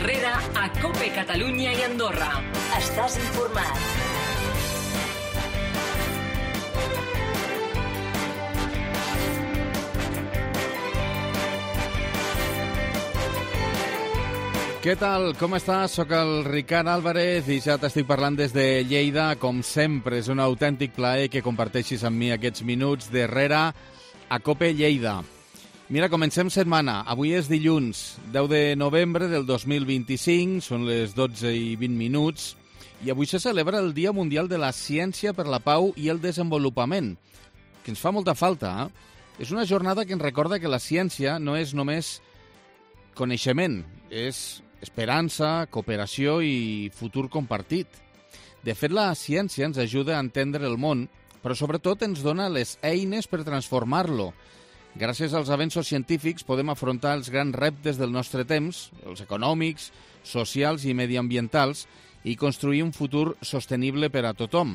Herrera a COPE Catalunya i Andorra. Estàs informat. Què tal? Com estàs? Soc el Ricard Álvarez i ja t'estic parlant des de Lleida. Com sempre, és un autèntic plaer que comparteixis amb mi aquests minuts d'Herrera a COPE Lleida. Mira, comencem setmana. Avui és dilluns, 10 de novembre del 2025, són les 12 i 20 minuts, i avui se celebra el Dia Mundial de la Ciència per la Pau i el Desenvolupament, que ens fa molta falta. És una jornada que ens recorda que la ciència no és només coneixement, és esperança, cooperació i futur compartit. De fet, la ciència ens ajuda a entendre el món, però sobretot ens dona les eines per transformar-lo. Gràcies als avenços científics podem afrontar els grans reptes del nostre temps, els econòmics, socials i mediambientals, i construir un futur sostenible per a tothom.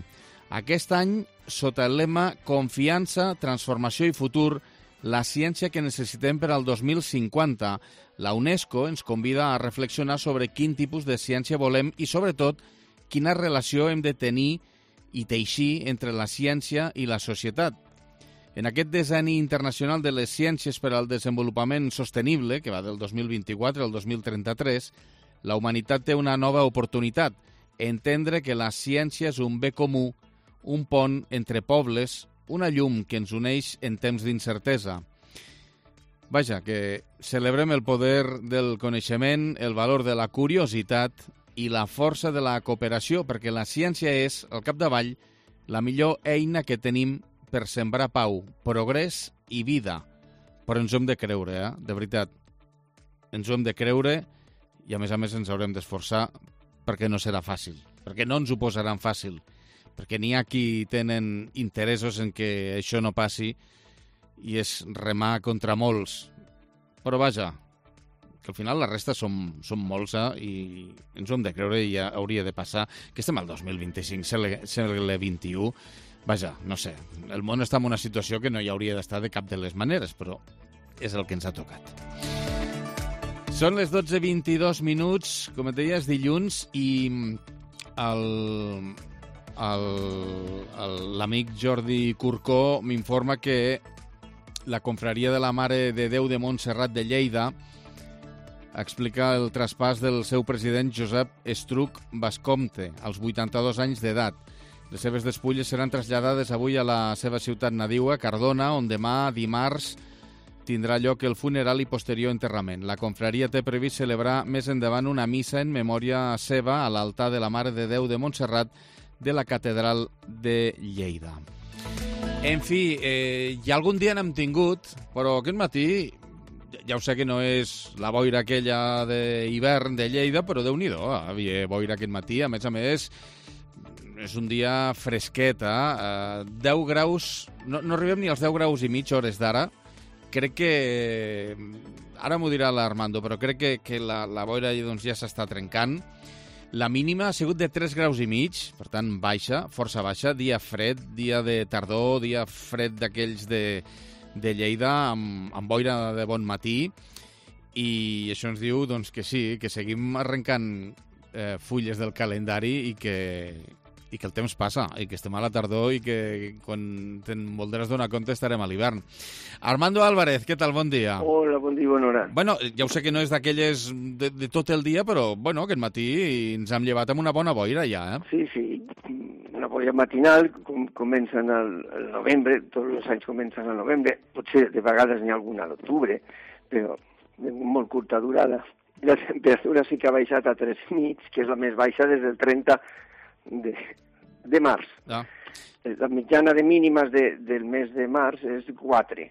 Aquest any, sota el lema Confiança, Transformació i Futur, la ciència que necessitem per al 2050, la UNESCO ens convida a reflexionar sobre quin tipus de ciència volem i, sobretot, quina relació hem de tenir i teixir entre la ciència i la societat. En aquest decenni internacional de les ciències per al desenvolupament sostenible, que va del 2024 al 2033, la humanitat té una nova oportunitat, entendre que la ciència és un bé comú, un pont entre pobles, una llum que ens uneix en temps d'incertesa. Vaja, que celebrem el poder del coneixement, el valor de la curiositat i la força de la cooperació, perquè la ciència és, al capdavall, la millor eina que tenim per sembrar pau, progrés i vida. Però ens ho hem de creure, de veritat. Ens ho hem de creure i, a més ens haurem d'esforçar perquè no serà fàcil, perquè no ens ho posaran fàcil, perquè n'hi ha qui tenen interessos en que això no passi i és remar contra molts. Però vaja, que al final la resta som molts i ens ho hem de creure i ja hauria de passar, que estem al 2025, segle XXI. Vaja, no sé, el món està en una situació que no hi hauria d'estar de cap de les maneres, però és el que ens ha tocat. Són les 12:22 minuts, com et deia, és dilluns, i l'amic Jordi Curcó m'informa que la confraria de la Mare de Déu de Montserrat de Lleida explica el traspàs del seu president Josep Estruc Bascomte, als 82 anys d'edat. Les seves despulles seran traslladades avui a la seva ciutat nadiua, Cardona, on demà, dimarts, tindrà lloc el funeral i posterior enterrament. La confraria té previst celebrar més endavant una missa en memòria seva a l'altar de la Mare de Déu de Montserrat de la Catedral de Lleida. En fi, ja algun dia n'hem tingut, però aquest matí, ja ho sé que no és la boira aquella d'hivern de Lleida, però Déu-n'hi-do, havia boira aquest matí. A més, és un dia fresquet, 10 graus, no arribem ni als 10 graus i mig hores d'ara. Crec que, ara m'ho dirà l'Armando, però crec que la boira doncs, ja s'està trencant. La mínima ha sigut de 3 graus i mig, per tant baixa, força baixa, dia fred, dia de tardor, dia fred d'aquells de Lleida, amb boira de bon matí, i això ens diu doncs, que sí, que seguim arrencant fulles del calendari i que el temps passa, i que estem a la tardor i que quan te'n voldràs donar compte estarem a l'hivern. Armando Álvarez, què tal? Bon dia. Hola, bon dia, bona hora. Bueno, ja ho sé que no és d'aquelles de tot el dia, però bueno, aquest matí ens hem llevat amb una bona boira ja, Sí, una boira matinal, comencen al novembre, tots els anys comencen al novembre, potser de vegades n'hi ha alguna a l'octubre, però de molt curta durada. La temperatura sí que ha baixat a 3,5, que és la més baixa des del 30 de març. La mitjana de mínimes del mes de març és 4,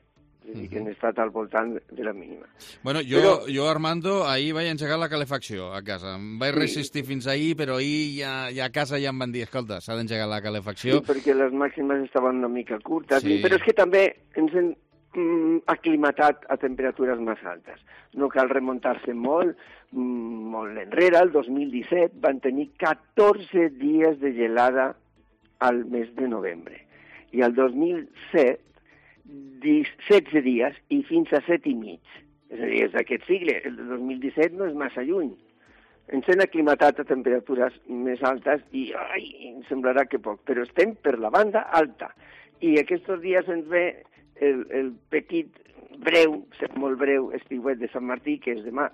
és a dir, que han estat al voltant de la mínima. Bueno, jo Armando, ahir vaig engegar la calefacció a casa. Em vaig resistir fins ahir, però ahir ja a casa ja em van dir, escolta, s'ha d'engegar la calefacció. Sí, perquè les màximes estaven una mica curtes, però és que també ens hem aclimatat a temperatures més altes. No cal remuntar-se molt enrere. El 2017 van tenir 14 dies de gelada al mes de novembre. I el 2007, 16 dies i fins a 7 i mig. És a dir, és d'aquest sigle. El 2017 no és massa lluny. ens hem aclimatat a temperatures més altes i em semblarà que poc, però estem per la banda alta. I aquests dies ens ve el petit breu, molt breu, estiuet de Sant Martí, que és demà.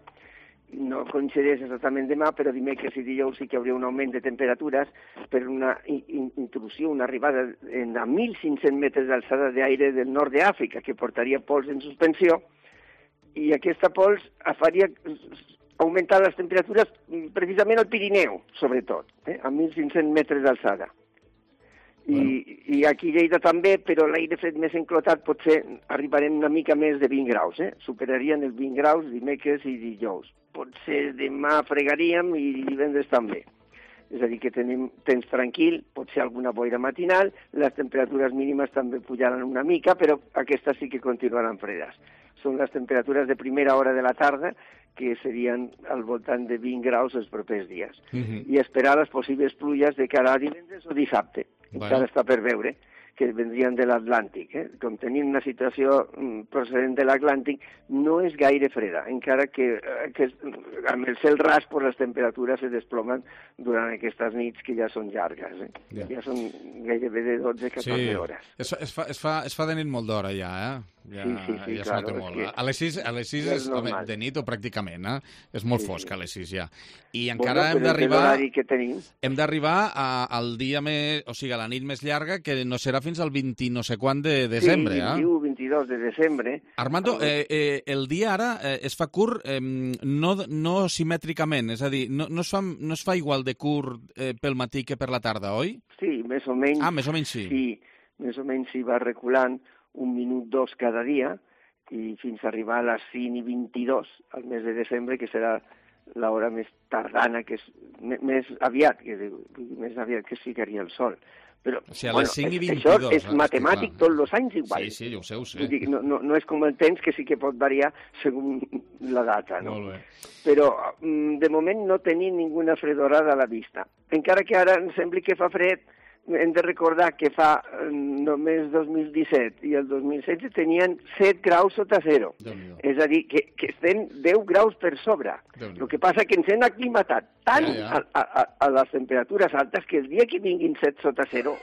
No coincideix exactament demà, però dimecres i dijous sí que hi hauria un augment de temperatures per una intrusió, una arribada a 1.500 metres d'alçada d'aire del nord d'Àfrica, que portaria pols en suspensió, i aquesta pols faria augmentar les temperatures precisament al Pirineu, sobretot, a 1.500 metres d'alçada. I aquí a Lleida també, però l'aire fred més enclotat potser arribarem una mica més de 20 graus, Superarien els 20 graus dimecres i dijous. Potser demà fregaríem i divendres també. És a dir, que tenim temps tranquil, potser alguna boira matinal, les temperatures mínimes també pujaran una mica, però aquestes sí que continuaran fredes. Són les temperatures de primera hora de la tarda, que serien al voltant de 20 graus els propers dies. I esperar les possibles pluges de cara a divendres o dissabte. Encara està per veure, que vendrien de l'Atlàntic. Com tenim una situació procedent de l'Atlàntic, no és gaire freda, encara que amb el cel ras les temperatures se desplomen durant aquestes nits que ja són llargues. Ja són gairebé de 12-14 hores. Es fa de nit molt d'hora ja, Ja es nota molt. A les 6 és de nit o pràcticament, és molt fosc a les 6 ja. I encara hem d'arribar al dia més, o sigui, a la nit més llarga, que no serà fins al 20 no sé quan de desembre. Sí, 21-22 de desembre. Armando, el dia ara es fa curt no simètricament, és a dir, no es fa igual de curt pel matí que per la tarda, oi? Sí, més o menys. Més o menys sí. Sí, més o menys s'hi va reculant 1 minut 2 cada dia i fins a arribar a les 5:22 al mes de desembre, que serà l'hora més tardana, que és més aviat que es ficaria el sol. Però, o sigui, a les 5:22... Això és matemàtic tots els anys igual. Sí, ho sé. Dic, no és com el temps, que sí que pot variar segons la data, no? Molt bé. Però, de moment, no tenim ninguna fredorada a la vista. Encara que ara em sembli que fa fred, hem de recordar que fa només 2017 i el 2016 tenien 7 graus sota zero. És a dir, que estem 10 graus per sobre. El que passa que ens hem aclimatat tant a les temperatures altes que el dia que vinguin 7 sota zero,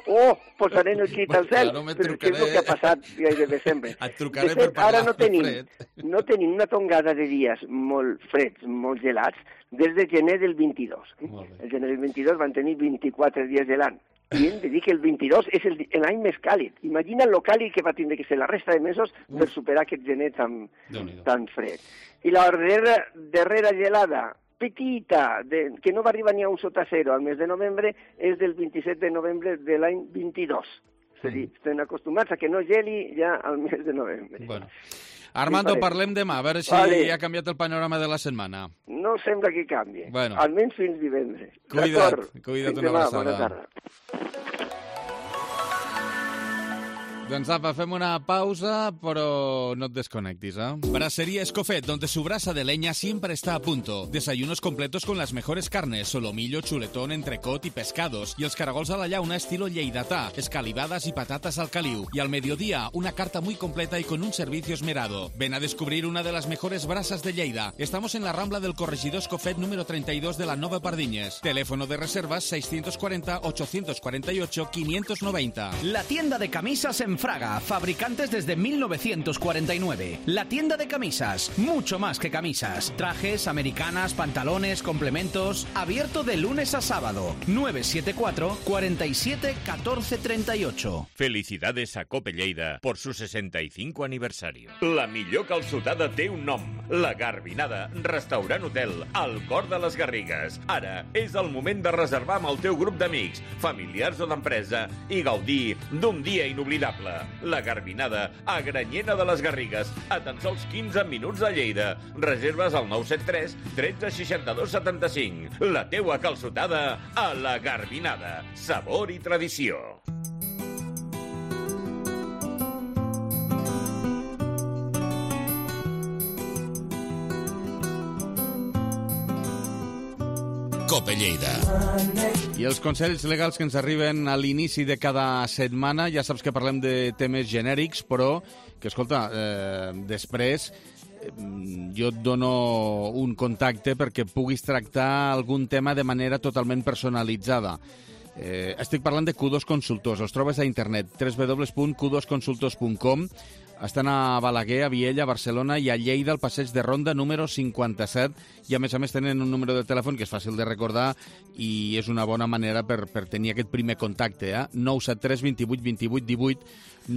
posarem el crit al cel, però què és el que ha passat gairebé sempre. Et trucaré per parlar de fred. No tenim una tongada de dies molt freds, molt gelats, des de gener del 22. El gener del 22 van tenir 24 dies gelant. I hem de dir que el 22 és l'any més càlid. Imagina lo càlid que va tindre que ser la resta de mesos per superar aquest gener tan fred. I la darrera gelada petita, que no va arribar ni a 1 sota zero al mes de novembre, és del 27 de novembre de l'any 22. És a dir, estem acostumats a que no geli ja al mes de novembre. Bueno. Armando, parlem demà, a veure si ha canviat el panorama de la setmana. No sembla que canvi, almenys fins divendres. Cuida't, una abraçada. Bona tarda. Doncs apa, fem una pausa, pero no te desconectes, Brasería Escofet, donde su brasa de leña siempre está a punto. Desayunos completos con las mejores carnes, solomillo, chuletón, entrecot y pescados. Y els caragols a la llauna estilo lleidatà, escalivadas y patatas al caliu. Y al mediodía, una carta muy completa y con un servicio esmerado. Ven a descubrir una de las mejores brasas de Lleida. Estamos en la Rambla del Corregidor Escofet número 32 de la Nova Pardiñes. Teléfono de reservas 640 848 590. La tienda de camisas en Fraga, fabricantes desde 1949. La tienda de camisas, mucho más que camisas. Trajes, americanas, pantalones, complementos. Abierto de lunes a sábado. 974 47 14 38. Felicidades a Cope Lleida por su 65 aniversario. La millor calçotada té un nom. La Garbinada, restaurant hotel, al cor de les Garrigues. Ara és el moment de reservar amb el teu grup d'amics, familiars o d'empresa i gaudir d'un dia inoblidable. La Garbinada, a Granyena de les Garrigues, a tan sols 15 minuts de Lleida. Reserves al 973 13 62 75. La teua calçotada a la Garbinada. Sabor i tradició. Cope Lleida. I els consells legals que ens arriben a l'inici de cada setmana, ja saps que parlem de temes genèrics, però que, escolta, després jo et dono un contacte perquè puguis tractar algun tema de manera totalment personalitzada. Estic parlant de Q2 Consultors. Els trobes a internet, www.q2consultors.com. Estan a Balaguer, a Viella, a Barcelona i a Lleida, al passeig de Ronda número 57. I, a més tenen un número de telèfon que és fàcil de recordar i és una bona manera per tenir aquest primer contacte. 973 28 28 18,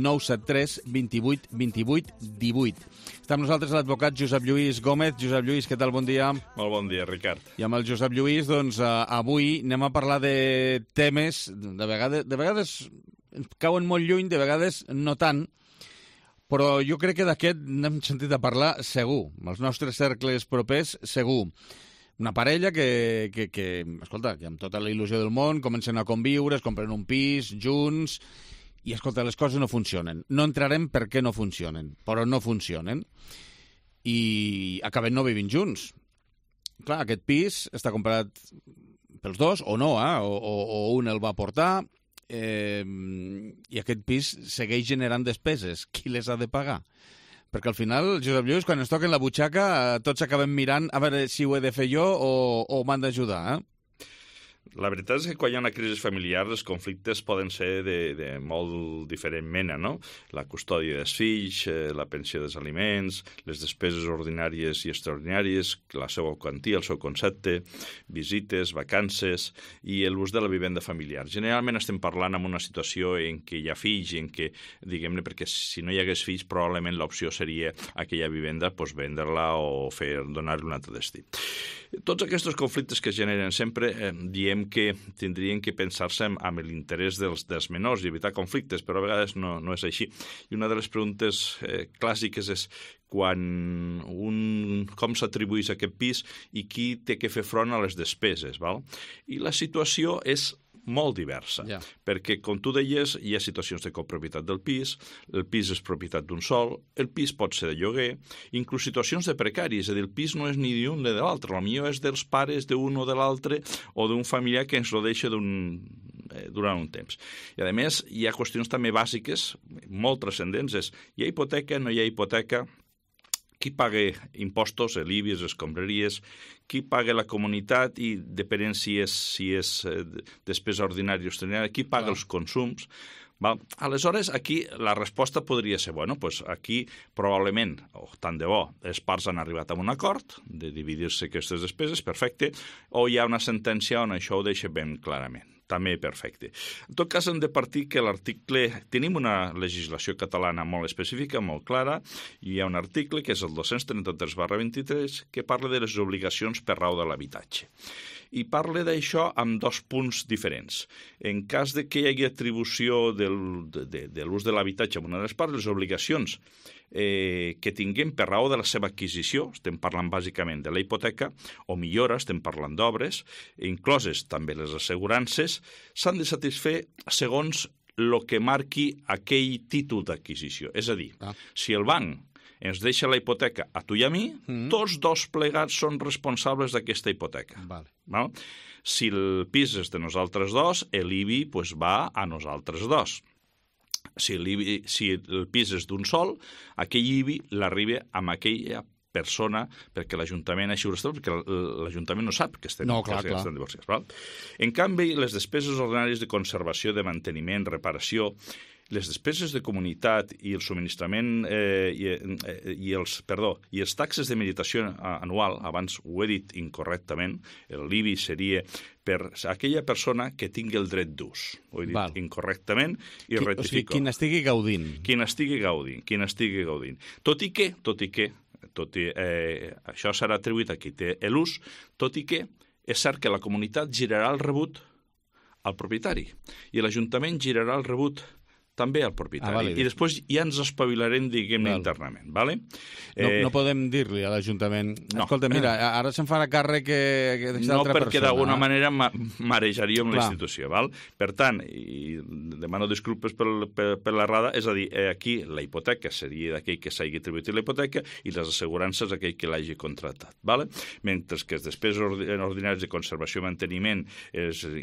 973 28 28 18. Està amb nosaltres l'advocat Josep Lluís Gómez. Josep Lluís, què tal? Bon dia. Molt bon dia, Ricard. I amb el Josep Lluís, doncs, avui anem a parlar de temes, de vegades ens cauen molt lluny, de vegades no tant, però jo crec que d'aquest n'hem sentit a parlar segur, als nostres cercles propers segur. Una parella que escolta, que amb tota la il·lusió del món comencen a conviure, es compren un pis junts i, escolta, les coses no funcionen. No entrarem per què no funcionen, però no funcionen. I acaben no vivint junts. Clar, aquest pis està comprat pels dos, o no, o un el va portar, i aquest pis segueix generant despeses. Qui les ha de pagar? Perquè al final, Josep Lluís, quan ens toquen la butxaca, tots acabem mirant a veure si ho he de fer jo o m'han d'ajudar, La veritat és que quan hi ha una crisi familiar els conflictes poden ser de molt diferent mena, no? La custòdia dels fills, la pensió dels aliments, les despeses ordinàries i extraordinàries, la seva quantia, el seu concepte, visites, vacances i l'ús de la vivenda familiar. Generalment estem parlant en una situació en què hi ha fills i en què, diguem-ne, perquè si no hi hagués fills probablement l'opció seria aquella vivenda vendre-la o donar-li un altre destí. Tots aquests conflictes que es generen sempre diem que tindrien que pensar-se amb l'interès dels menors i evitar conflictes, però a vegades no és així. I una de les preguntes clàssiques és com s'atribueix aquest pis i qui té que fer front a les despeses, val? I la situació és molt diversa, perquè, com tu deies, hi ha situacions de copropietat del pis, el pis és propietat d'un sol, el pis pot ser de lloguer, inclús situacions de precari, és a dir, el pis no és ni d'un ni de l'altre, potser és dels pares d'un o de l'altre o d'un familiar que ens lo deixa durant un temps. I, a més, hi ha qüestions també bàsiques, molt transcendents, és hi ha hipoteca, no hi ha hipoteca, qui paga impostos, l'IBI, les escombraries, qui paga la comunitat i depenent si és despesa ordinària o extraordinària, qui paga els consums. Aleshores, aquí la resposta podria ser, aquí probablement, o tant de bo, les parts han arribat a un acord de dividir-se aquestes despeses, perfecte, o hi ha una sentència on això ho deixa ben clarament. També perfecte. En tot cas, hem de partir que l'article... Tenim una legislació catalana molt específica, molt clara, i hi ha un article, que és el 233/23, que parla de les obligacions per raó de l'habitatge. I parla d'això amb dos punts diferents. En cas de que hi hagi atribució de l'ús de l'habitatge en una de les parts, les obligacions que tinguem per raó de la seva adquisició, estem parlant bàsicament de la hipoteca, o millora, estem parlant d'obres, incloses també les assegurances, s'han de satisfer segons el que marqui aquell títol d'adquisició. És a dir, si el banc ens deixa la hipoteca a tu i a mi, tots dos plegats són responsables d'aquesta hipoteca. Si el pis és de nosaltres dos, l'IBI va a nosaltres dos. Si el pis és d'un sol, aquell IBI l'arriba amb aquella persona perquè l'Ajuntament així ho està, perquè l'Ajuntament no sap que estem divorciats. En canvi, les despeses ordinàries de conservació, de manteniment, reparació, les despeses de comunitat i el subministrament i els taxes de meditació anual, abans ho he dit incorrectament, l'IBI seria per aquella persona que tingui el dret d'ús. Ho he dit incorrectament i rectifico. O sigui, qui n'estigui gaudint. Qui n'estigui gaudint. Tot i que això serà atribuït a qui té l'ús, tot i que és cert que la comunitat girarà el rebut al propietari i l'Ajuntament girarà el rebut també al propietari. I després ja ens espavilarem, diguem-ne, internament. No podem dir-li a l'Ajuntament, escolta, mira, ara se'n farà càrrec d'aquesta altra persona. No, perquè d'alguna manera marejaríem la institució. Per tant, i demano disculpes per l'errada, és a dir, aquí la hipoteca seria d'aquell que s'hagi atribuït la hipoteca i les assegurances aquell que l'hagi contractat. Mentre que les despeses ordinàries de conservació i manteniment,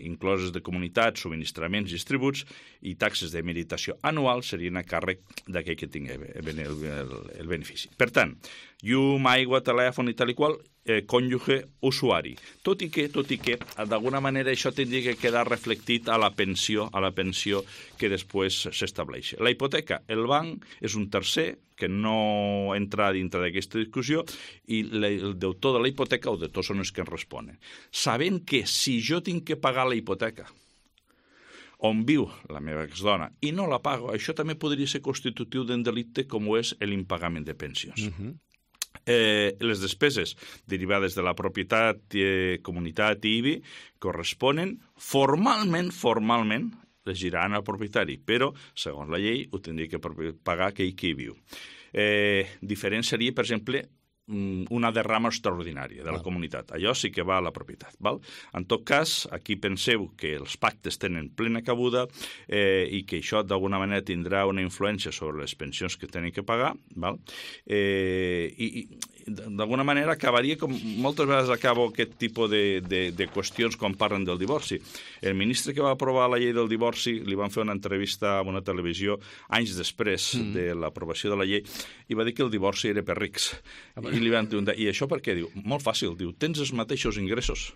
incloses de comunitat, subministraments i tributs i taxes de meditació liquidació anual serien a càrrec d'aquell que tingui el benefici. Per tant, llum, aigua, telèfon i tal i qual, cònjuge, usuari. Tot i que, d'alguna manera, això tindria que quedar reflectit a la pensió que després s'estableix. La hipoteca, el banc és un tercer que no entra dintre d'aquesta discussió i el deutor de la hipoteca o deutors són els que ens responen. Sabent que si jo tinc que pagar la hipoteca on viu la meva exdona i no la pago, això també podria ser constitutiu d'un delicte com ho és l'impagament de pensions. Les despeses derivades de la propietat, comunitat i IBI corresponen formalment, les giraran al propietari, però, segons la llei, ho tindria que pagar aquell que hi viu. Diferent seria, per exemple, una derrama extraordinària de la comunitat. Allò sí que va a la propietat. Val? En tot cas, aquí penseu que els pactes tenen plena cabuda i que això d'alguna manera tindrà una influència sobre les pensions que tenen que pagar. Val? I d'alguna manera acabaria, com moltes vegades acabo aquest tipus de qüestions quan parlen del divorci. El ministre que va aprovar la llei del divorci li van fer una entrevista a una televisió anys després de l'aprovació de la llei i va dir que el divorci era per rics. I li van preguntar, i això per què? Diu, molt fàcil, diu, tens els mateixos ingressos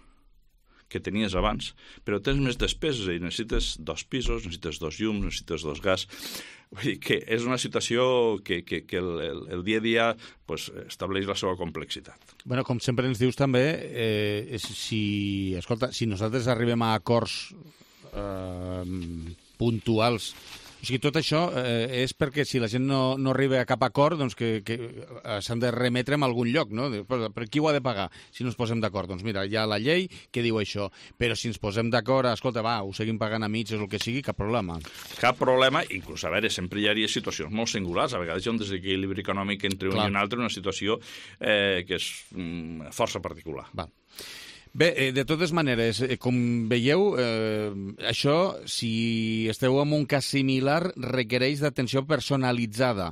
que tenies abans, però tens més despeses i necessites 2 pisos, necessites 2 llums, necessites 2 gas. Vull dir que és una situació que el dia a dia estableix la seva complexitat. Bueno, com sempre ens dius també, si nosaltres arribem a acords puntuals, o sigui, tot això és perquè si la gent no arriba a cap acord, doncs que s'han de remetre a algun lloc, no? Per qui ho ha de pagar si no ens posem d'acord? Doncs mira, hi ha la llei que diu això, però si ens posem d'acord, escolta, va, ho seguim pagant a mitges o el que sigui, cap problema. Cap problema, inclús, a veure, sempre hi hauria situacions molt singulars, a vegades hi ha un desequilibri econòmic entre un i un altre, una situació que és força particular. Va. Bé, de totes maneres, com veieu, això, si esteu en un cas similar, requereix d'atenció personalitzada.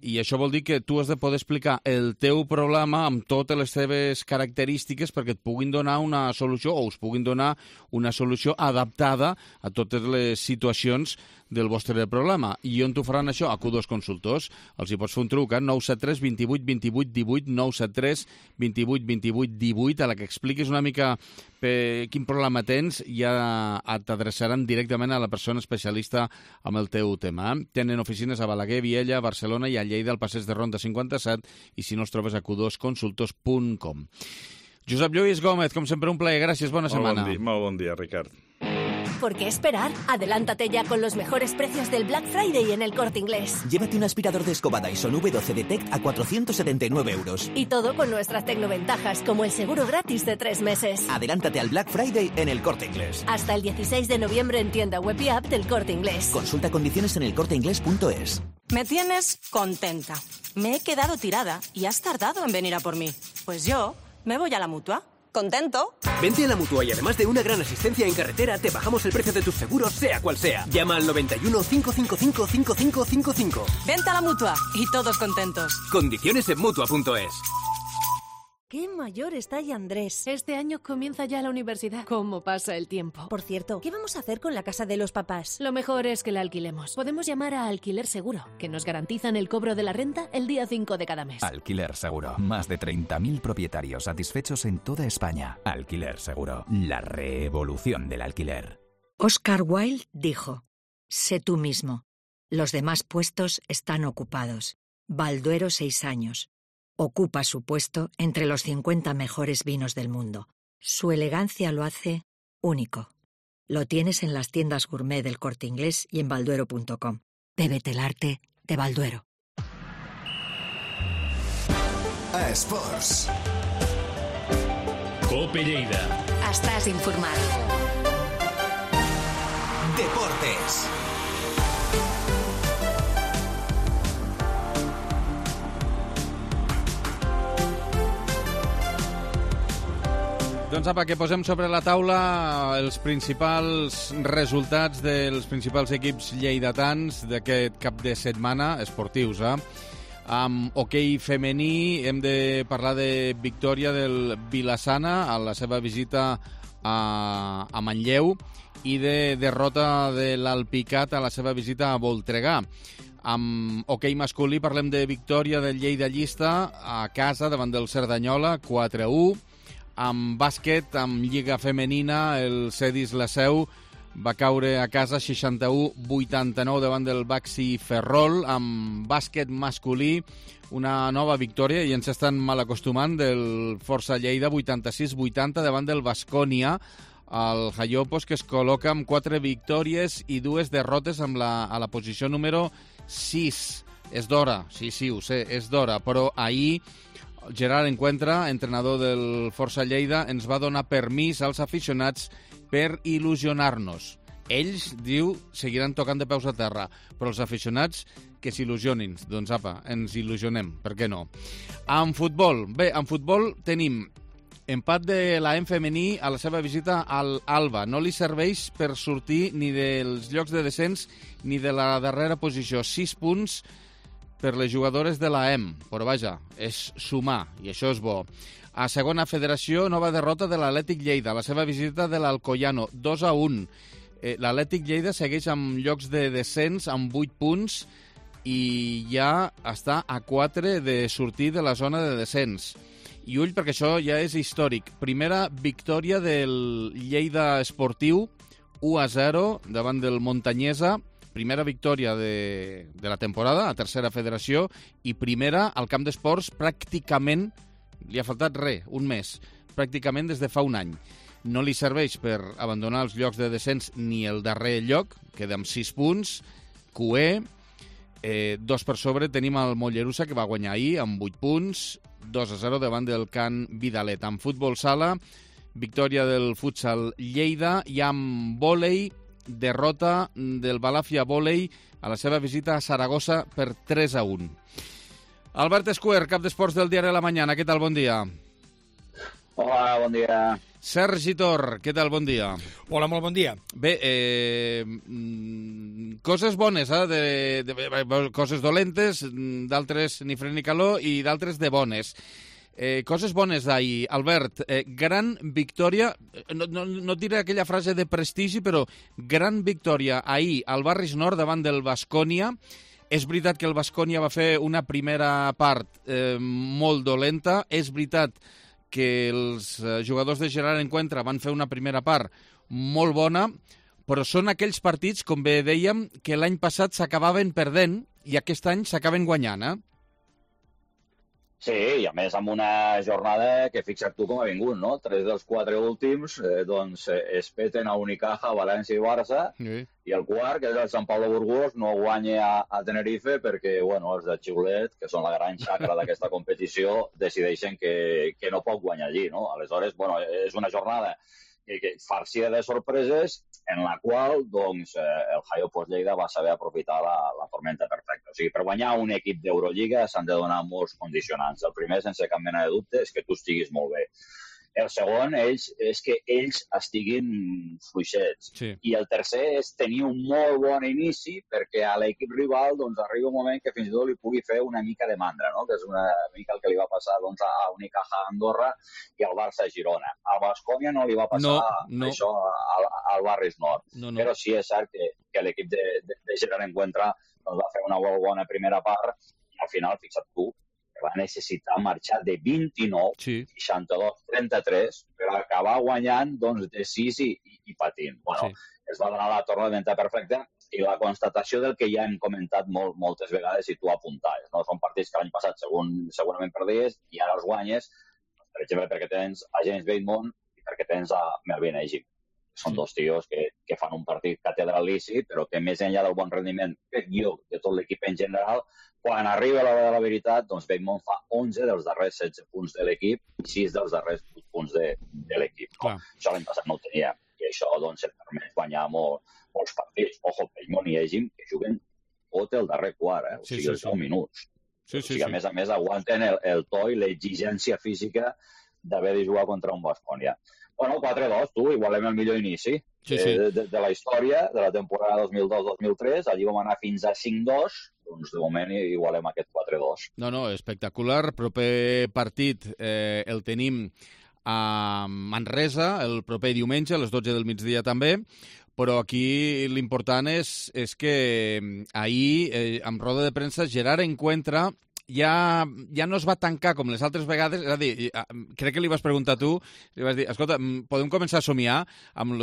I això vol dir que tu has de poder explicar el teu problema amb totes les teves característiques perquè et puguin donar una solució o us puguin donar una solució adaptada a totes les situacions del vostre problema. I on t'ho faran això? A Q2 Consultors. Els hi pots fer un truc a 973 28 28 18, 973 28 28 18, a la que expliquis una mica quin problema tens i ja t'adreçaran directament a la persona especialista amb el teu tema. Tenen oficines a Balaguer, Viella, Barcelona i a Lleida, al Passeig de Ronda 57, i si no els trobes a q2consultors.com. Josep Lluís Gómez, com sempre, un plaer. Gràcies, bona setmana. Molt bon dia, Ricard. ¿Por qué esperar? Adelántate ya con los mejores precios del Black Friday en El Corte Inglés. Llévate un aspirador de escoba Dyson V12 Detect a 479 €. Y todo con nuestras tecnoventajas, como el seguro gratis de 3 meses. Adelántate al Black Friday en El Corte Inglés. Hasta el 16 de noviembre en tienda web y app del Corte Inglés. Consulta condiciones en elcorteinglés.es. Me tienes contenta. Me he quedado tirada y has tardado en venir a por mí. Pues yo me voy a la Mutua. ¿Contento? Vente a la Mutua y además de una gran asistencia en carretera, te bajamos el precio de tus seguros, sea cual sea. Llama al 91 555 5555. Vente a la Mutua y todos contentos. Condiciones en Mutua.es. ¡Qué mayor está ya Andrés! Este año comienza ya la universidad. ¿Cómo pasa el tiempo? Por cierto, ¿qué vamos a hacer con la casa de los papás? Lo mejor es que la alquilemos. Podemos llamar a Alquiler Seguro, que nos garantizan el cobro de la renta el día 5 de cada mes. Alquiler Seguro. Más de 30.000 propietarios satisfechos en toda España. Alquiler Seguro. La revolución del alquiler. Oscar Wilde dijo: sé tú mismo. Los demás puestos están ocupados. Balduero 6 años. Ocupa su puesto entre los 50 mejores vinos del mundo. Su elegancia lo hace único. Lo tienes en las tiendas gourmet del Corte Inglés y en balduero.com. Bébete el arte de Balduero. A Esports. Cope Lleida. Estàs informat. Deportes. Doncs apa, que posem sobre la taula els principals resultats dels principals equips lleidatans d'aquest cap de setmana, esportius, Amb hoquei femení hem de parlar de victòria del Vilassana a la seva visita a Manlleu i de derrota de l'Alpicat a la seva visita a Voltregà. Amb hoquei masculí parlem de victòria del Lleida Llista a casa davant del Cerdanyola, 4-1. Amb bàsquet, amb Lliga Femenina, el Cedis La Seu va caure a casa 61-89 davant del Baxi Ferrol. Amb bàsquet masculí, una nova victòria, i ens estan mal acostumant, del Força Lleida 86-80 davant del Baskonia. El Jaiopos, que es col·loca amb 4 victòries i 2 derrotes a la posició número 6. És d'hora, sí, ho sé, és d'hora, però ahir Gerard Encuentra, entrenador del Força Lleida, ens va donar permís als aficionats per il·lusionar-nos. Ells, diu, seguiran tocant de peus a terra, però els aficionats que s'il·lusionin. Doncs apa, ens il·lusionem, per què no? En futbol, en futbol tenim empat de l'AM femení a la seva visita al Alba. No li serveix per sortir ni dels llocs de descens ni de la darrera posició. 6 punts per les jugadores de l'AM, però vaja, és sumar, i això és bo. A segona federació, nova derrota de l'Atlètic Lleida, la seva visita de l'Alcoyano, 2-1. L'Atlètic Lleida segueix amb llocs de descens amb 8 punts i ja està a 4 de sortir de la zona de descens. I ull, perquè això ja és històric. Primera victòria del Lleida Esportiu, 1-0 davant del Montanyesa. Primera victòria de la temporada, a tercera federació, i primera al camp d'esports pràcticament, li ha faltat un mes, pràcticament des de fa un any. No li serveix per abandonar els llocs de descens ni el darrer lloc, queda amb 6 punts, QE, 2 per sobre tenim el Mollerussa, que va guanyar ahir amb 8 punts, 2-0 davant del Can Vidalet. En futbol sala, victòria del futsal Lleida, i amb vòlei, derrota del Balàfia Vòlei a la seva visita a Saragossa per 3-1. Albert Escuer, cap d'esports del diari La Mañana, què tal? Bon dia. Hola, bon dia. Sergi Tor, què tal? Bon dia. Hola, molt bon dia. Bé, coses bones, coses dolentes, d'altres ni fred ni calor, i d'altres de bones. Coses bones d'ahir. Albert, gran victòria, no et diré aquella frase de prestigi, però gran victòria ahir al Barris Nord davant del Baskonia. És veritat que el Baskonia va fer una primera part molt dolenta, és veritat que els jugadors de Gerard Encuentra van fer una primera part molt bona, però són aquells partits, com bé dèiem, que l'any passat s'acabaven perdent i aquest any s'acaben guanyant, Sí, i a més amb una jornada que fixa't tu com ha vingut, no? 3 dels 4 últims, doncs es peten a Unicaja, València i Barça, i el quart, que és el Sant Pau de Burgos, no guanya a Tenerife perquè, bueno, els de Xiulet, que són la gran xacra d'aquesta competició, decideixen que no pot guanyar allí, no? Aleshores, bueno, és una jornada farcida de sorpreses en la qual doncs, el Jaiopos Lleida va saber aprofitar la tormenta perfecta. O sigui, per guanyar un equip d'Eurolliga s'han de donar molts condicionants. El primer, sense cap mena de dubte, és que tu estiguis molt bé. El segon és que ells estiguin fluixets. Sí. I el tercer és tenir un molt bon inici perquè a l'equip rival doncs, arriba un moment que fins i tot li pugui fer una mica de mandra, no? Que és una mica el que li va passar doncs, a Unicaja a Andorra i al Barça a Girona. A Baskonia no li va passar això al Barris Nord. Però sí és cert que l'equip de Gerard Encuentra doncs, va fer una molt bona primera part i al final, fixa't tu, va necessitar marxar de 29, 62-33, per acabar guanyant doncs, de 6 i patint. Bueno, es va donar la tormenta perfecta i la constatació del que ja hem comentat moltes vegades i tu apuntaves. No? Són partits que l'any passat segurament perdies i ara els guanyes, per exemple, perquè tens a James Bateman i perquè tens a Melvin Egip. Són dos tios que fan un partit catedralici, però que més enllà del bon rendiment, crec jo, de tot l'equip en general, quan arriba l'hora de la veritat, doncs Bateman fa 11 dels darrers 16 punts de l'equip i 6 dels darrers punts de l'equip. No? Això l'any passat no ho tenia. I això doncs, et permet guanyar molts partits. Ojo, Bateman i Egim, que juguen tot el darrer quart, o sigui, els 10 minuts. O sigui, a més, aguanten el to i l'exigència física d'haver de jugar contra un Baskonia. Bueno, 4-2, tu, igualem el millor inici de la història, de la temporada 2002-2003. Allí vam anar fins a 5-2, doncs de moment igualem aquest 4-2. No, espectacular. Proper partit el tenim a Manresa el proper diumenge, a les 12 del migdia també, però aquí l'important és que ahir, amb roda de premsa, Gerard Encuentra ja no es va tancar com les altres vegades, és a dir, crec que li vas preguntar tu, li vas dir, escolta, podem començar a somiar amb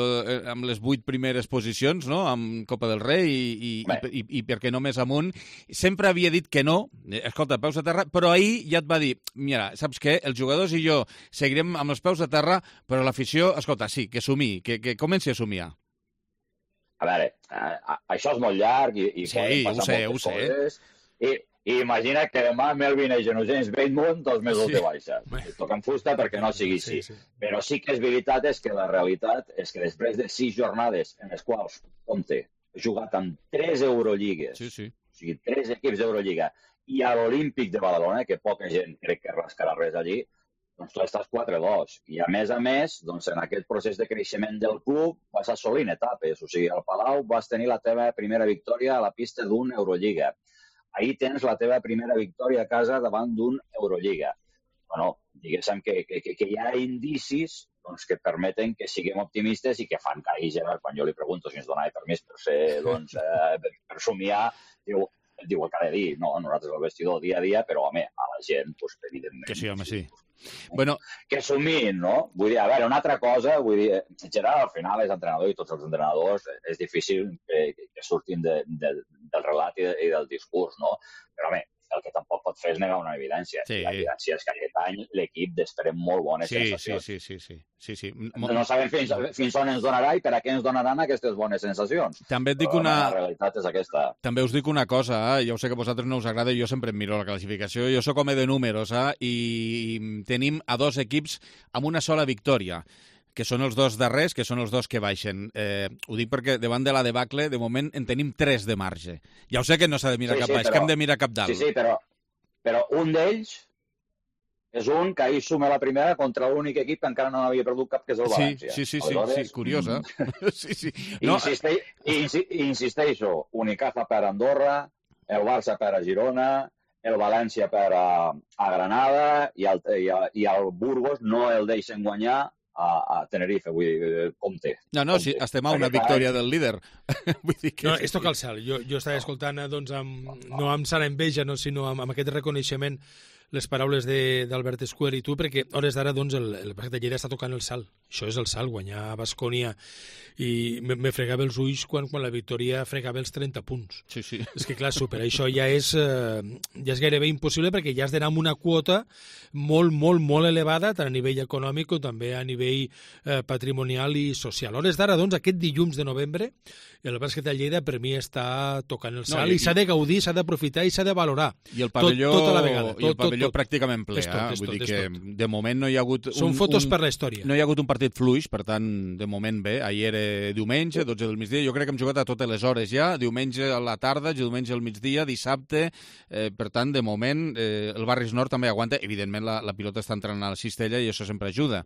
les 8 primeres posicions, no?, amb Copa del Rei i per què no més amunt. Sempre havia dit que no, escolta, peus a terra, però ahir ja et va dir, mira, saps què, els jugadors i jo seguirem amb els peus a terra, però l'afició, escolta, sí, que somiï, que comenci a somiar. A veure, això és molt llarg i sí, poden passar moltes coses. I imagina que demà Melvin Egen o James Bateman 2 mesos de baixa. Toquen fusta perquè no sigui així. Però sí que és veritat és que la realitat és que després de 6 jornades en les quals, compte, he jugat amb 3 Euroligues, o sigui, 3 equips d'Eurolliga, i a l'Olímpic de Badalona, que poca gent crec que rascarà res allí, doncs tu estàs 4-2. I a més, doncs, en aquest procés de creixement del club vas assolint etapes. O sigui, al Palau vas tenir la teva primera victòria a la pista d'una Eurolliga. Ahir tens la teva primera victòria a casa davant d'un Eurolliga. Bueno, diguéssim que hi ha indicis doncs, que permeten que siguem optimistes i que fan que ahir Gerard, quan jo li pregunto si ens donava permís per ser, doncs, per somiar, diu el que ha de dir. No, nosaltres al vestidor dia a dia, però, home, a la gent, doncs, evidentment... Que sí, home, sí. Bueno, que somiïn, no? Vull dir, a veure, una altra cosa, vull dir, Gerard al final és entrenador i tots els entrenadors és difícil que surtin del relat i del discurs, no? Però, home, el que tampoc pot fer és negar una evidència. Sí. La evidència és que aquest any l'equip desprèn molt bones sensacions. Sí. No sabem fins on ens donarà i per a què ens donaran aquestes bones sensacions. També et dic la realitat és aquesta. També us dic una cosa, ja ho sé que a vosaltres no us agrada i jo sempre em miro la classificació. Jo sóc home de números i tenim a 2 equips amb una sola victòria, que són els 2 darrers, que són els 2 que baixen. Ho dic perquè davant de la debacle, de moment, en tenim 3 de marge. Ja ho sé que no s'ha de mirar cap baix, que hem de mirar cap dalt. Sí, però un d'ells és un que ahir suma la primera contra l'únic equip que encara no havia perdut cap, que és el València. Sí, curiosa. No. Insisteixo, Unicaja per Andorra, el Barça per a Girona, el València per a Granada i el Burgos no el deixen guanyar a Tenerife, vull dir, compte. No, sí, estem a una victòria del líder. Vull dir que... No, és tocar el cel. Jo estava escoltant, doncs, no amb sana enveja, sinó amb aquest reconeixement les paraules d'Albert Escuer i tu, perquè a hores d'ara doncs, el bàsquet de Lleida està tocant el salt. Això és el salt, guanyar a Baskonia. I me fregava els ulls quan la victòria fregava els 30 punts. Sí. És que, clar, superar això ja és gairebé impossible perquè ja has d'anar amb una quota molt, molt, molt elevada, tant a nivell econòmic com també a nivell patrimonial i social. A hores d'ara, doncs, aquest dilluns de novembre, el bàsquet de Lleida per mi està tocant el salt i s'ha de gaudir, s'ha d'aprofitar i s'ha de valorar. I el pavelló, tota la vegada. I el pavelló pràcticament ple. Vull dir que de moment no hi ha hagut... Són fotos per la història. No hi ha hagut un partit fluix, per tant, de moment bé. Ahir era diumenge, 12 del migdia. Jo crec que hem jugat a totes les hores ja. Diumenge a la tarda, diumenge al migdia, dissabte. Per tant, de moment, el Barris Nord també aguanta. Evidentment, la pilota està entrant a la cistella i això sempre ajuda.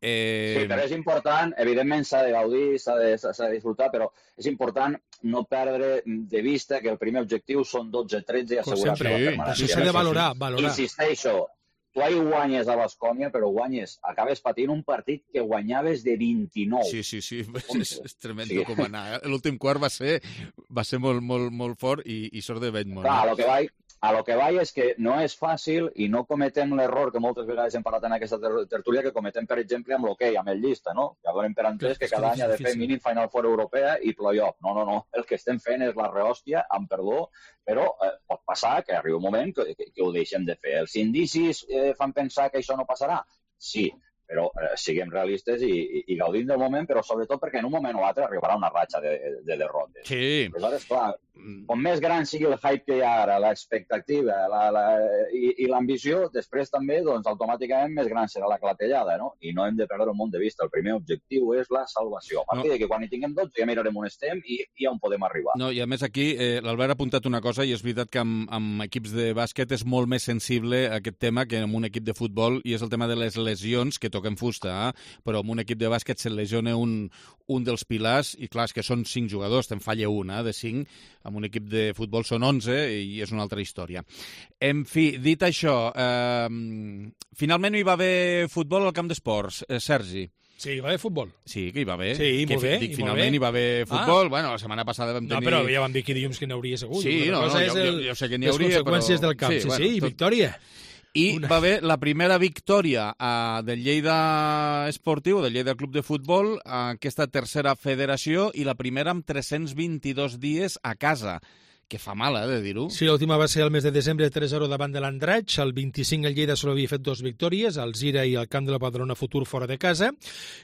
Sí, però és important, evidentment s'ha de gaudir, s'ha de disfrutar, però és important no perdre de vista que el primer objectiu són 12-13 i assegurar la permanència. Això s'ha de valorar. Insisteixo, tu ahir guanyes a Baskonia, però acabes patint un partit que guanyaves de 29. Sí, és tremendo com anar. L'últim quart va ser molt fort i sort de Bateman. Clar, a lo que vaig és que no és fàcil i no cometem l'error que moltes vegades hem parlat en aquesta tertúlia que cometem, per exemple, amb l'hoquei, amb el llista, no? Que donem per entès que cada any ha de fer mínim Final Four europea i play-off. No. El que estem fent és la rehòstia, amb perdó, però pot passar que arribi un moment que ho deixem de fer. Els indicis fan pensar que això no passarà? Sí, però siguem realistes i gaudim del moment, però sobretot perquè en un moment o altre arribarà una ratxa de derrotes. Sí. Aleshores, clar, com més gran sigui el hype que hi ha ara, l'expectativa i l'ambició, després també, doncs, automàticament més gran serà la clatellada, no? I no hem de perdre un munt de vista. El primer objectiu és la salvació. A partir de que quan hi tinguem 12 ja mirarem on estem i on podem arribar. No, i a més aquí l'Albert ha apuntat una cosa i és veritat que amb equips de bàsquet és molt més sensible aquest tema que amb un equip de futbol i és el tema de les lesions que toquem fusta, però amb un equip de bàsquet se lesiona un dels pilars, i clar, és que són 5 jugadors, te'n falla una de 5, amb un equip de futbol són 11, i és una altra història. En fi, dit això, finalment hi va haver futbol al camp d'esports, Sergi. Sí, hi va haver futbol. Sí, que hi va haver. Sí, molt bé. Finalment hi va haver futbol. Bueno, la setmana passada vam tenir... No, però ja vam dir que dilluns que n'hi hauria segur. Sí, jo sé que n'hi hauria, però... Les conseqüències del camp, sí, i victòria. I va haver la primera victòria del Lleida Esportiu, del Lleida Club de Futbol, aquesta tercera federació, i la primera amb 322 dies a casa. Que fa mal, de dir-ho. Sí, l'última va ser el mes de desembre 3-0 davant de l'Andratx. El 25 el Lleida solo havia fet 2 victòries, al Zira i al camp de la Badalona Futur fora de casa.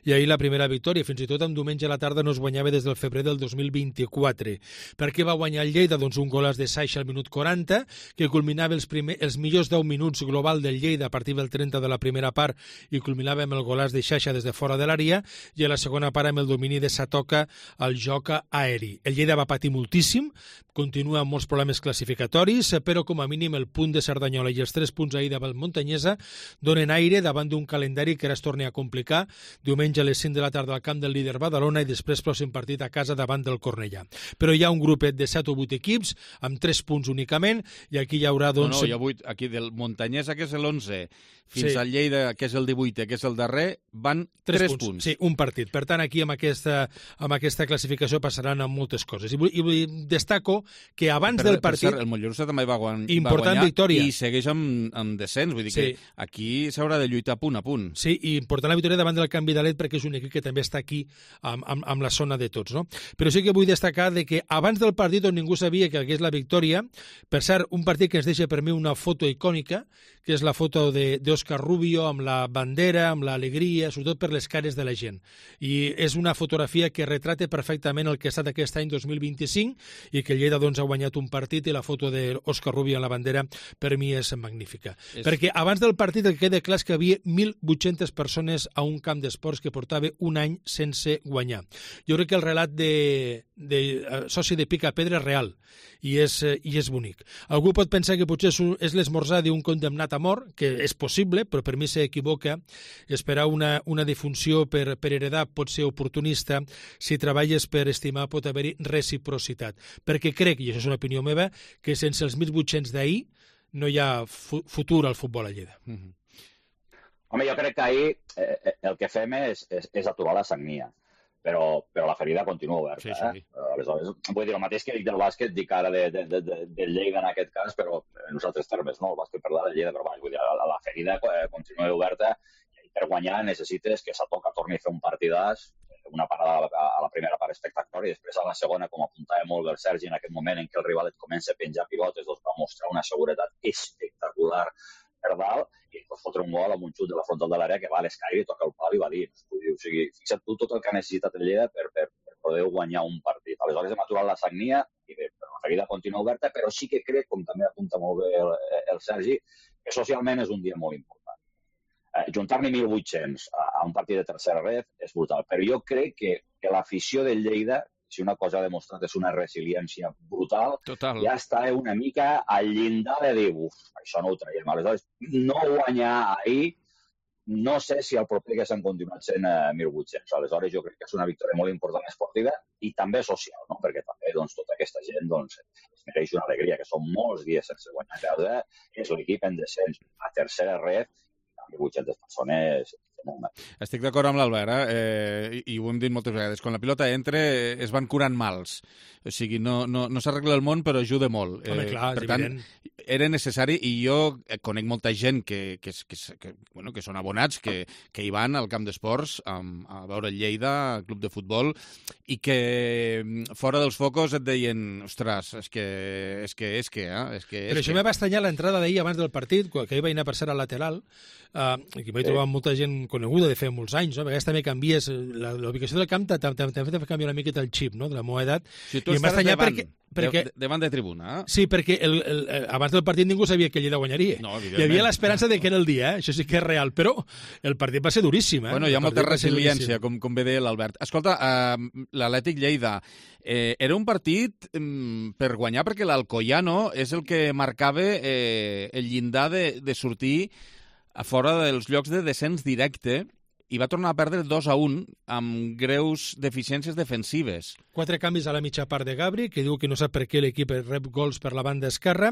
I ahir la primera victòria, fins i tot en diumenge a la tarda no es guanyava des del febrer del 2024. Per què va guanyar el Lleida? Doncs un golàs de Saixa al minut 40, que culminava els millors 10 minuts global del Lleida a partir del 30 de la primera part, i culminava amb el golàs de Saixa des de fora de l'àrea, i a la segona part amb el domini de Satoca al joc aeri. El Lleida va patir moltíssim, continua amb molts problemes classificatoris, però com a mínim el punt de Cerdanyola i els 3 punts ahir davant Montanyesa donen aire davant d'un calendari que ara es torna a complicar. Diumenge a les 5 de la tarda al camp del líder Badalona i després pròxim partit a casa davant del Cornellà. Però hi ha un grupet de 7 o 8 equips amb 3 punts únicament, i aquí hi haurà... No, hi ha 8. Aquí del Montanyesa, que és l'11, fins al Lleida, que és el 18, que és el darrer, van 3 punts. Sí, un partit. Per tant, aquí amb aquesta classificació passaran amb moltes coses. I destaco que abans del partit... Per cert, el Mollerussa també va guanyar victòria. I segueix amb descens, vull dir que aquí s'haurà de lluitar punt a punt. Sí, i important la victòria davant del Can Vidalet, perquè és un equip que també està aquí amb la zona de tots, no? Però sí que vull destacar de que abans del partit on ningú sabia que hagués la victòria, per cert, un partit que ens deixa per mi una foto icònica, que és la foto d'Òscar Rubio amb la bandera, amb l'alegria, sobretot per les cares de la gent. I és una fotografia que retrata perfectament el que ha estat aquest any 2025, i que el Lleida doncs, ha guanyat un partit, i la foto d'Òscar Rubio amb la bandera per mi és magnífica. Perquè abans del partit el que queda clar és que hi havia 1.800 persones a un camp d'esports que portava un any sense guanyar. Jo crec que el relat de soci de Pica Pedra és real, i és bonic. Algú pot pensar que potser és l'esmorzar d'un condemnat a mort, que és possible, però per mi s'equivoca. Esperar una defunció per heredar pot ser oportunista. Si treballes per estimar pot haver-hi reciprocitat. Perquè crec, i això és una opinió meva, que sense els 1.800 d'ahir no hi ha futur al futbol a Lleida. Home, jo crec que ahir el que fem és aturar la sagnia. Però la ferida continua oberta. Sí. Aleshores, vull dir, el mateix que dic del bàsquet, dic ara del Lleida en aquest cas, però en uns altres termes, no? El bàsquet per la Lleida, però vull dir, la ferida continua oberta, i per guanyar necessites que Satoca torni a fer un partidàs, una parada a la primera part espectacular, i després a la segona, com apuntava molt el Sergi, en aquest moment en què el rival et comença a penjar pilotes, doncs va mostrar una seguretat espectacular per dalt, i pot fotre un gol amb un xut de la frontal de l'àrea que va a l'escaire i toca el pal i va dir. O sigui, fixa't tu tot el que ha necessitat el Lleida per poder guanyar un partit. Aleshores hem aturat la sagnia, i bé, la ferida continua oberta, però sí que crec, com també apunta molt bé el Sergi, que socialment és un dia molt important. Juntar-ne 1.800 a un partit de tercera ref és brutal, però jo crec que l'afició del Lleida, si una cosa ha demostrat és una resiliència brutal, ja està una mica al llindar de dir, això no ho traiem. Aleshores, no guanyar ahir, no sé si el proper que s'han continuat sent 1.800. Aleshores, jo crec que és una victòria molt important esportiva i també social, no? Perquè també tota aquesta gent es mereix una alegria, que són molts dies sense guanyar casa, és l'equip en descens a tercera ref, 1.800 persones. Estic d'acord amb l'Albert, i ho hem dit moltes vegades. Quan la pilota entra, es van curant mals. O sigui, no s'arregla el món, però ajuda molt. Home, clar, per tant, era necessari, i jo conec molta gent que són abonats, que hi van al camp d'esports a veure el Lleida, el club de futbol, i que fora dels focus et deien, ostres, és que... Però això me va estranyar l'entrada d'ahir abans del partit, que ahir vaig anar per ser al lateral, i vaig trobar molta gent coneguda de fer molts anys, no? A vegades també canvies l'ubicació del camp, també fa canviar una miqueta el xip, no?, de la meva edat. Si tu estàs davant de tribuna. Sí, perquè abans del partit ningú sabia que el Lleida guanyaria. No, hi havia l'esperança de que era el dia, això sí que és real, però el partit va ser duríssim. Bueno, hi ha molta resiliència, com bé deia l'Albert. Escolta, l'Atlètic Lleida, era un partit per guanyar, perquè l'Alcoyano és el que marcava el llindar de sortir a fora dels llocs de descens directe, i va tornar a perdre 2-1 amb greus deficiències defensives. 4 canvis a la mitja part de Gabri, que diu que no sap per què l'equip rep gols per la banda esquerra,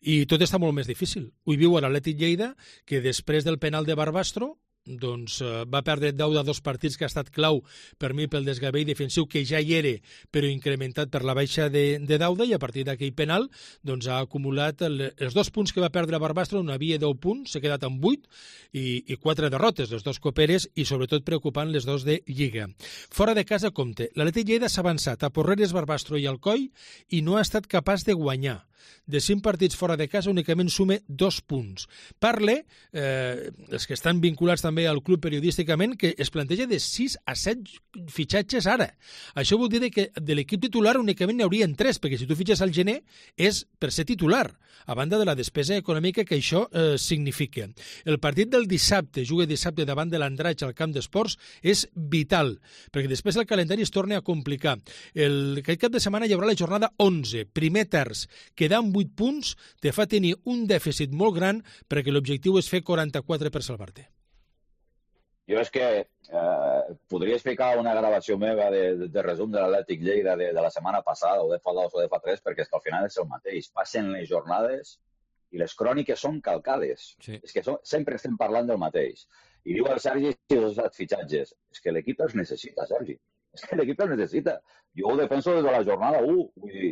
i tot està molt més difícil. Ho viu a l'Atlètic Lleida, que després del penal de Barbastro doncs va perdre Dauda 2 partits, que ha estat clau per mi pel desgavell defensiu que ja hi era, però incrementat per la baixa de Dauda, i a partir d'aquell penal doncs ha acumulat els 2 punts que va perdre a Barbastro, on havia 10 punts, s'ha quedat amb 8 i 4 derrotes, les 2 coperes i sobretot preocupant les 2 de Lliga. Fora de casa, compte, l'Atlètic Lleida s'ha avançat a Porreres, Barbastro i Alcoi i no ha estat capaç de guanyar. De 5 partits fora de casa únicament sume 2 punts. Parle, els que estan vinculats també al club periodísticament, que es planteja de 6 a 7 fitxatges ara. Això vol dir que de l'equip titular únicament n'hi haurien 3, perquè si tu fitxes al gener és per ser titular, a banda de la despesa econòmica que això significa. El partit del dissabte, juga dissabte davant de l'Andratx al camp d'esports, és vital, perquè després el calendari es torna a complicar. Aquest cap de setmana hi haurà la jornada 11, primer terç, quedar amb 8 punts te fa tenir un dèficit molt gran perquè l'objectiu és fer 44 per salvar-te. Jo és que podria explicar una gravació meva de resum de l'Atlètic Lleida de la setmana passada, o de fa 2 o de fa 3, perquè és que al final és el mateix. Passen les jornades i les cròniques són calcades. Sí. És que sempre estem parlant del mateix. I diu el Sergi si els fitxatges. És que l'equip els necessita, Sergi. És que l'equip els necessita. Jo ho defenso des de la jornada 1. Vull dir,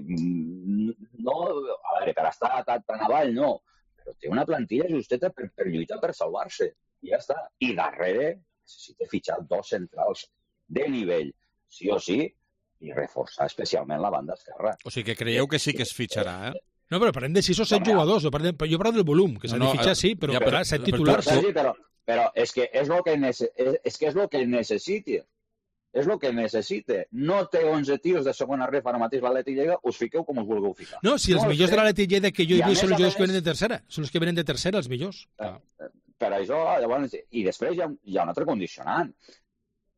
no, a veure, per estar tan avall, no. Però té una plantilla justeta per lluitar per salvar-se. I ja està. I darrere necessita fitxar 2 centrals de nivell, sí o sí, i reforçar especialment la banda esquerra. O sigui que creieu que sí que es fitxarà, eh? No, però parlem de 6 o 7 jugadors. Jo parlo del volum, que s'ha de fitxar, sí, però clar, 7 titulars. Però és que és el que necessiti. És el que necessita. No té 11 tios de segona ref ara mateix l'Atlètic Lleida, us fiqueu com us vulgueu ficar. No, si els millors de l'Atlètic Lleida que jo he vist són els jugadors que venen de tercera. Són els que venen de tercera, els millors. Per això, llavors, i després hi ha un altre condicionant.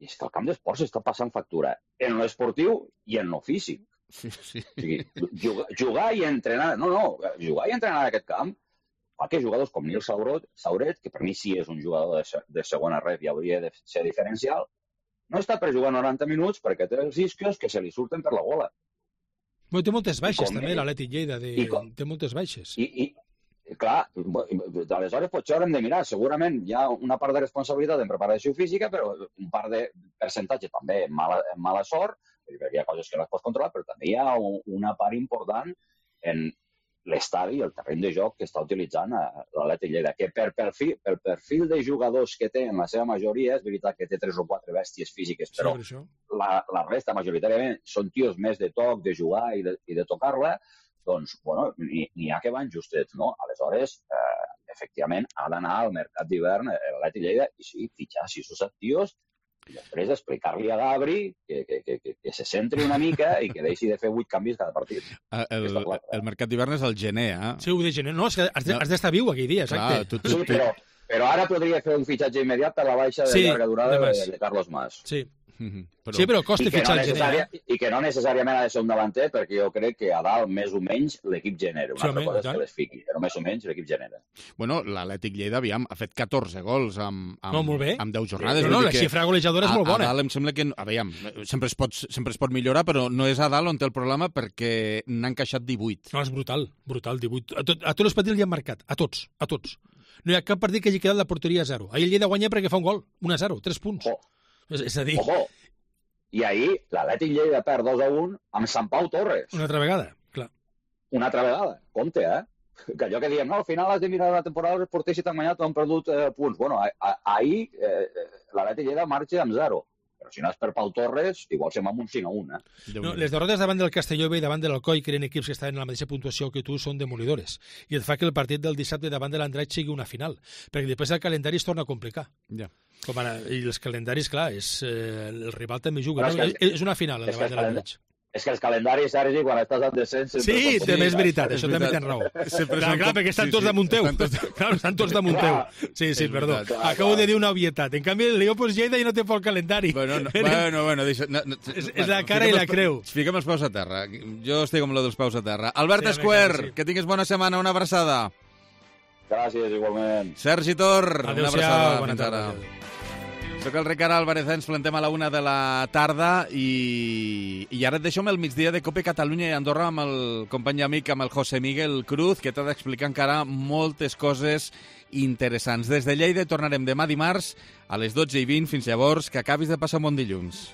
I és que el camp d'esports està passant factura en l'esportiu i en lo físic. Sí. O sigui, jugar i entrenar... jugar i entrenar en aquest camp fa que jugadors com Nil Sauret, que per mi sí és un jugador de segona ref i hauria de ser diferencial, no està per jugar 90 minuts perquè té els isquios que se li surten per la gola. Però té moltes baixes, també, l'Atlètic Lleida. Té moltes baixes. I clar, aleshores potser haurem de mirar. Segurament hi ha una part de responsabilitat en preparació física, però un part de percentatge també en mala sort, perquè hi ha coses que no es pot controlar, però també hi ha una part important en l'estadi i el terreny de joc que està utilitzant l'Atlètic Lleida, que pel perfil de jugadors que té en la seva majoria, és veritat que té 3 o 4 bèsties físiques, però la resta majoritàriament són tios més de toc, de jugar i de tocar-la, doncs, bueno, n'hi ha que van justets, no? Aleshores, efectivament, ha d'anar al mercat d'hivern l'Atlètic Lleida i sí, fitxar 6 o 7 tios i després explicar-li a Gabri que se centri una mica i que deixi de fer 8 canvis cada partit. El mercat d'hivern és el gener, eh? Sí, ho de gener. No, és que has d'estar viu aquell dia, exacte. Sí, però ara podria fer un fitxatge immediat per la baixa de llarga durada de Carlos Mas. Sí. Sí, però costa fitxar el gener. I que no necessàriament ha de ser un davanter, perquè jo crec que a dalt, més o menys, l'equip genera. Una altra cosa és que les fiqui, però més o menys l'equip genera. Bueno, l'Atlètic Lleida, aviam, ha fet 14 gols amb 10 jornades. No, la xifra golejadora és molt bona. A dalt em sembla que, aviam, sempre es pot millorar, però no és a dalt on té el problema perquè n'han encaixat 18. No, és brutal, 18. A tots els partits li han marcat, a tots. No hi ha cap partit que hagi quedat la porteria a 0. Ahir el Lleida guanya perquè fa un gol, 1-0, 3 punts. És a dir... I ahir l'Atlètic Lleida perd 2-1 amb Sant Pau Torres. Una altra vegada, clar. Una altra vegada, compte, Que allò que diem, no, al final has de mirar la temporada, els porters si t'han guanyat han perdut punts. Bueno, ahir l'Atlètic Lleida marxa amb 0. Però si no és per Pau Torres, igual se'n va amb un 5-1, No, les derrotes davant del Castelló i davant de l'Alcoi, que eren equips que estaven en la mateixa puntuació que tu, són demolidores. I et fa que el partit del dissabte davant de l'Andratx sigui una final. Perquè després el calendari es torna a complicar. Ja. Com ara, i els calendaris, clar, el rival també juga. És una final, el davant de l'Andratx. És que els calendaris, Sergi, quan estàs en descens... Sí, també és veritat, això també tens raó. Clar, perquè estan tots damunt teu. Estan tots damunt teu. Sí, perdó. Acabo de dir una obvietat. En canvi, el Leopolds Lleida ja no té pel calendari. Bueno, és la cara i la creu. Fiquem els peus a terra. Jo estic amb lo dels peus a terra. Albert Esquer, que tinguis bona setmana, una abraçada. Gràcies, igualment. Sergi Tor, una abraçada. Bona tarda. Soc el Ricard Álvarez, ens plantem a la 1 de la tarda i ara et deixo amb el migdia de Cope Catalunya i Andorra amb el company i amic, amb el José Miguel Cruz, que t'ha d'explicar encara moltes coses interessants. Des de Lleida tornarem demà dimarts a les 12:20. Fins llavors, que acabis de passar un bon dilluns.